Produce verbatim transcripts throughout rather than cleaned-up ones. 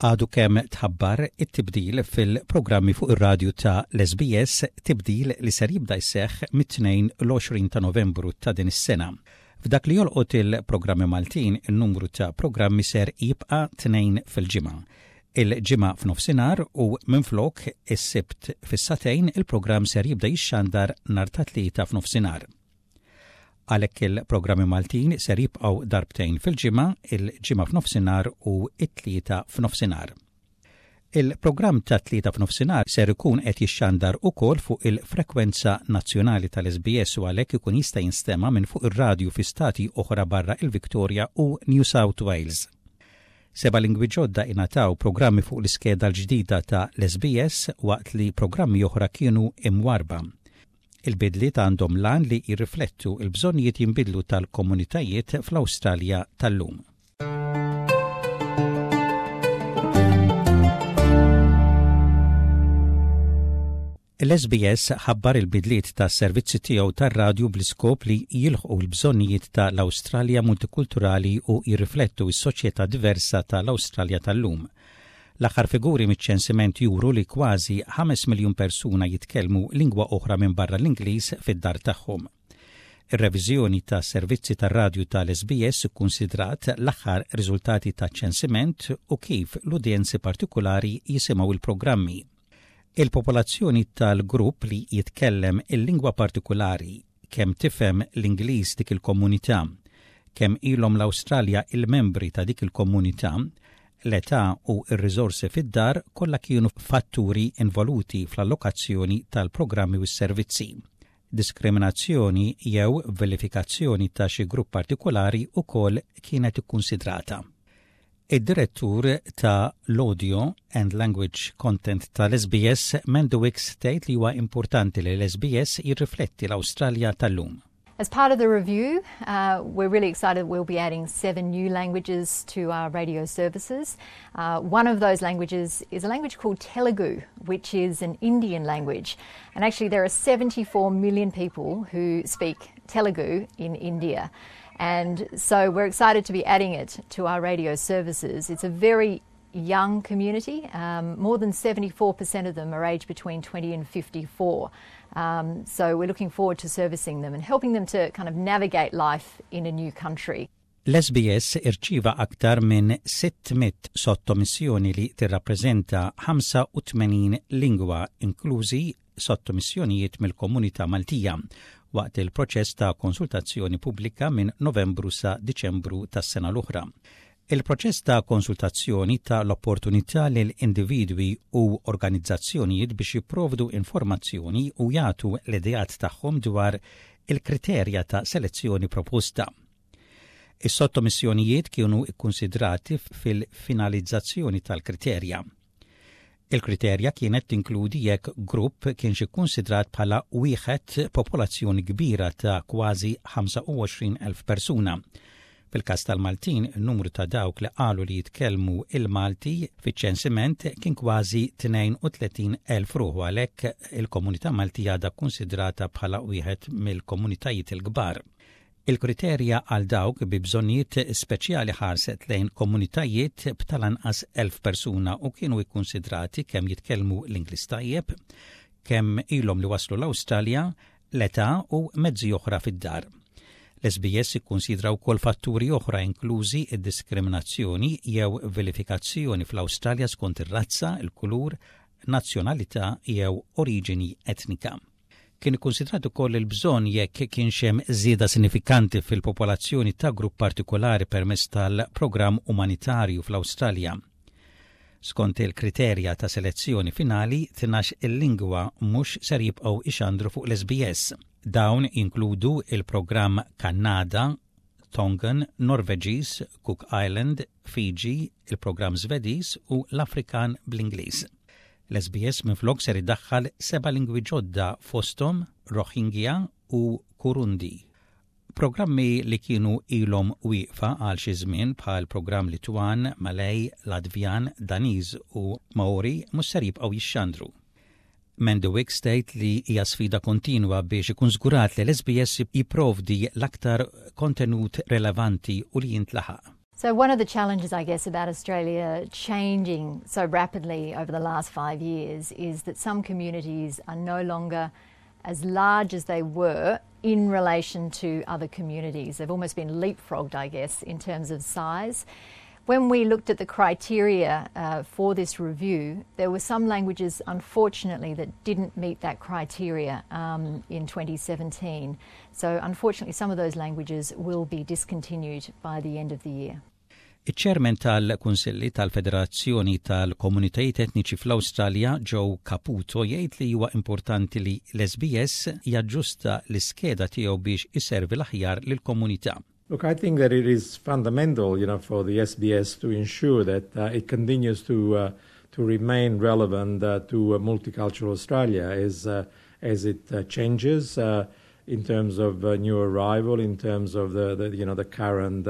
Għadu kemm tħabbar it-tibdil fil-programmi fuq ir-radju ta' l-S B S, tibdil li ser jibda jseħħ mit-tnejn l-għoxrin ta' Novembru ta' din is-sena. F'dak li jolqot il-programmi Maltin, il-numru ta' programmi ser jibqa' tnejn fil-ġimgħa. Il-Ġimgħa f'nofsinhar u minflok is-Sibt fis-sagħtejn, il-programm ser jibda jixxandar nhar ta' Tlieta f'nofsinhar. Għalhekk il-programmi Maltin ser jibqgħu darbtejn fil-ġimgħa, il-Ġimgħa f'nofsinhar u it-Tlieta f'nofsinhar. Il-programm ta' Tlieta f'nofsinhar ser ikun qed jixxandar ukoll fuq il-frekwenza nazzjonali tal-S B S u għalhekk ikun jista' jinstema' minn fuq ir-radju fi stati oħra barra il-Victoria u New South Wales. Seba' lingwi ġodda ingħataw programmi fuq l-iskeda l-ġdida ta' l-S B S waqt li programmi oħra kienu imwarba. Il-bidliet għandhom l-għan li jirriflettu il-bżonnijiet jinbidlu tal-komunitajiet fl-Awstralja tal-lum. L-S B S ħabbar il-bidliet ta' servizzi tiegħu tar-radju bl-iskop li jilħqu l-bżonnijiet ta' l-Awstralja multikulturali u jirriflettu s-soċjetà diversa tal-Awstralja tal-lum. L-aħħar figuri miċ-ċensiment juru li kważi ħames miljun persuna jitkellmu lingwa oħra minn barra l-Ingliż fid-dar tagħhom. Ir-reviżjoni ta' servizzi tar-radju tal-S B S ikkunsidrat l-aħħar riżultati ta' ċensiment u kif l-udjenzi partikolari jisimgħu il-programmi. Il-popolazzjoni tal-grupp li jitkellem il-lingwa partikolari, kemm tifhem l-Ingliż dik il-komunità, kemm ilhom l-Awstralja il-membri ta' dik il-komunità, l-età u r-riżorsi fid-dar kollha kienu fatturi involuti fl-allokazzjoni tal-programmi u s-servizzi. Diskriminazzjoni jew vilifikazzjoni ta' xi grupp partikolari ukoll kienet ikkunsidrata. Id-direttur ta' l-Audio and Language Content tal-S B S, Mandy Wicks, tgħid li huwa importanti li l-S B S jirrifletti l-Awstralja tal-lum. As part of the review, uh, we're really excited we'll be adding seven new languages to our radio services. Uh, one of those languages is a language called Telugu, which is an Indian language. And actually, there are seventy-four million people who speak Telugu in India. And so we're excited to be adding it to our radio services. It's a very young community. Um, more than seventy-four percent of them are aged between twenty and fifty-four. Um, so we're looking forward to servicing them and helping them to kind of navigate life in a new country. L-S B S irċiva aktar minn sitt mitt sottomissjoni li tirrappreżenta ħamsa u tmenin lingwa, inklużi sottomissjonijiet mill-komunità Maltija, waqt il-proċess ta' konsultazzjoni pubblika minn Novembru sa' Diċembru tas-sena l-oħra. Il-proċess ta' konsultazzjoni ta l-opportunità lil individwi u organizzazzjonijiet biex jipprovdu informazzjoni u jagħtu l-ideat tagħhom dwar il-kriterja ta' selezzjoni proposta. Is-sottomissjonijiet kienu ikkonsidrati fil-finalizzazzjoni tal-kriterja. Il-kriterja kienet tinkludi jekk grupp kienx ikkonsidrat bħala wieħed popolazzjoni kbira ta' kważi ħamsa u għoxrin elf persuna. Fil-kas tal-Maltin, il-numru ta' dawk li qalu li jitkellmu il-Malti fiċ-ċensiment kien kważi tnejn u tletin elf ruħu, għalhekk il-komunità Maltija għadha konsidrata bħala wieħed mill-komunitajiet il-kbar. Il-kriterja għal dawk bi bżonnijiet speċjali ħarset lejn komunitajiet b'talanqas elf persuna u kienu ikkonsidrati kemm jitkellmu l-Ingliż tajjeb, kemm ilhom li waslu l-Awstralja, l-età u mezzi oħra fid-dar. L-S B S ikkonsidra wkoll fatturi oħra, inklużi id-diskriminazzjoni jew vilifikazzjoni fl-Awstralja skont ir-razza, il-kulur, nazzjonalità jew oriġini etnika. Kien ikkonsidrat ukoll il-bżonn jekk kienx hemm żieda sinifikanti fil-popolazzjoni ta' grupp partikolari permezz tal-programm umanitarju fl-Awstralja. Skont il-kriterja ta' selezzjoni finali, tnax il-lingwa mhux ser jibqgħu ixandru fuq l-S B S. Dawn inkludu il-programm Kannada, Tongan, Norveġiż, Cook Island, Fiji, il-programm Svediż u l-Afrikan bl-Ingliż. L-S B S minflok ser idaħħal seba' lingwi ġodda, fosthom Rohingya u Kurundi. Programmi li kienu ilhom wieqfa għal xi żmien, bħal programm Litwan, Malej, Latvjan, Daniż u Maori, mhux ser jibqgħu jixxandru. Mandy Wicks tgħid li hija sfida kontinwa biex ikun żgurat li l-S B S jipprovdi l-aktar kontenut relevanti u li jintlaħaq. So, one of the challenges, I guess, about Australia changing so rapidly over the last five years is that some communities are no longer as large as they were in relation to other communities. They've almost been leapfrogged, I guess, in terms of size. When we looked at the criteria uh, for this review, there were some languages, unfortunately, that didn't meet that criteria um, in twenty seventeen. So, unfortunately, some of those languages will be discontinued by the end of the year. Iċ-ċermen tal-Kunsilli tal-Federazzjoni tal-Komunitajiet Etniċi fl-Awstralja, Joe Caputo, jgħid li huwa importanti li l-S B S jaġġusta l-iskeda tiegħu biex iservi l-aħjar lill-komunità. Look, I think that it is fundamental, you know, for the S B S to ensure that uh, it continues to uh, to remain relevant uh, to multicultural Australia as uh, as it uh, changes uh, in terms of new arrival, in terms of the, the you know the current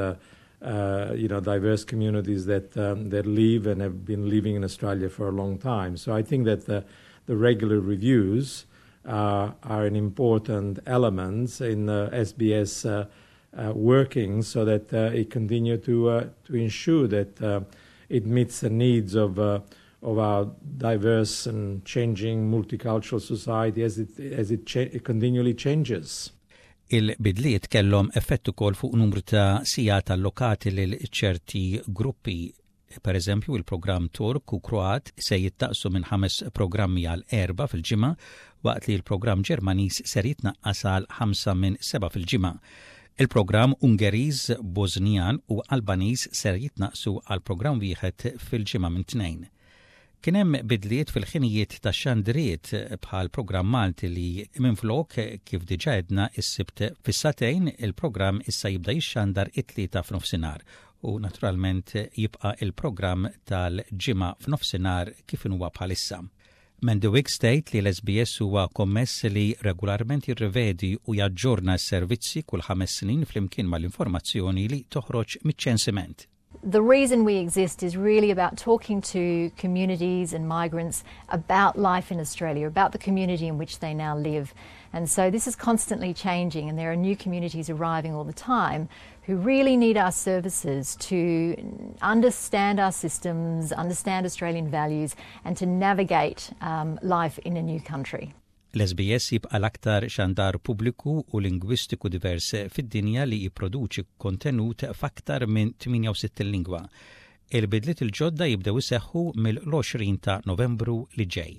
you know diverse communities that um, that live and have been living in Australia for a long time. So I think that the the regular reviews are an important element in the S B S Uh, working so that uh, it continue to uh, to ensure that uh, it meets the needs of uh, of our diverse and changing multicultural society as it as it, cha it continually changes. Il-bidliet kellhom effett ukoll fuq numru ta' sigħat allokati lil ċerti gruppi. Per eżempju, il-programm Tork u Kroat se jitnaqqsu minn ħames programmi għal erba' fil-ġimgħa, waqt li l-programm Ġermaniż ser jitnaqqas għal ħamsa minn seba' fil-ġimgħa. Il-programm Ungeriż, Bosnijan u Albaniż ser jitnaqsu għal programm wieħed fil-ġimgħa minn tnejn. Kien hemm bidliet fil-ħinijiet ta' xandriet, bħal programm Malti li minflok, kif diġà għedna, is-Sibt fis-sagħtejn, il-programm issa jibda jixxandar it-Tlieta f'nofsinhar u naturalment jibqa' il-programm tal-Ġimgħa f'nofsinhar kif huwa bħalissa. Mandy Wicks tgħid li l-S B S huwa kommess li regolarment jirrivedi u jaġġorna s-servizzi kull ħames snin flimkien mal-informazzjoni li toħroġ miċ-ċensiment. The reason we exist is really about talking to communities and migrants about life in Australia, about the community in which they now live. And so this is constantly changing, and there are new communities arriving all the time who really need our services to understand our systems, understand Australian values, and to navigate um, life in a new country. L-S B S jibqa l-aktar xandar pubbliku u lingwistiku divers fid-dinja li jipproduċi kontenut f'aktar minn tmienja u sittin lingwa. Il-bidliet il-ġodda jibdew iseħħu mill-għoxrin ta' Novembru li ġej.